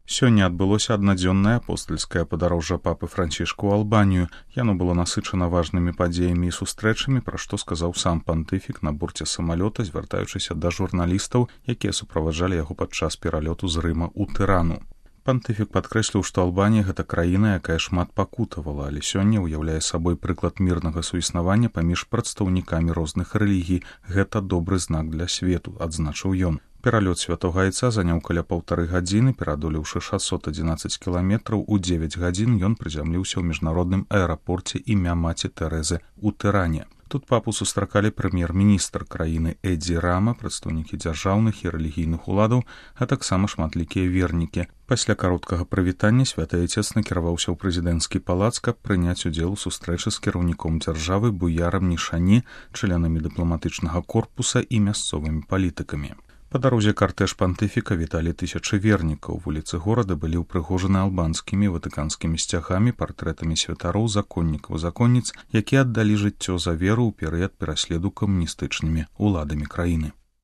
Сёння адбылося аднадзённае апостальскае падарожжа папы Францішка ў Албанію. Яно было насычана важнымі падзеямі і сустрэчамі, пра што сказаў сам пантыфік на борце самалёта, звяртаючыся да журналістаў, якія суправаджалі яго падчас пералёту з Рыма ў Тырану. Пантыфік падкрэсліў, што Албанія — гэта краіна, якая шмат пакутавала, але сёння ўяўляе сабой прыклад мірнага суіснавання паміж прадстаўнікамі розных рэлігій. Гэта добры знак для свету, адзначыў ён. Пералёт святога айца заняў каля 1,5 гадзіны, пераадолеўшы 611 кіламетраў, у 9 гадзін ён прызямліўся ў міжнародным аэрапорце імя маці Тэрэзы ў Тыране. Тут папу сустракалі прэм'ер-міністр краіны Эдзі Рама, прадстаўнікі дзяржаўных і рэлігійных уладаў, а таксама шматлікія вернікі. Пасля кароткага прывітання святы айцец накіраваўся ў прэзідэнцкі палац, каб прыняць удзел у сустрэчы з кіраўніком дзяржавы Буярам Нішані, членамі дыпламатычнага корпуса і мясцовымі палітыкамі. Па дарозе картэж пантыфіка віталі тысячы вернікаў. Вуліцы горада былі ўпрыгожаны албанскімі ватыканскімі сцягамі, партрэтамі святароў, законнікаў, законніц, якія аддалі жыццё за веру ў перыяд пераследу камуністычнымі ўладамі краіны.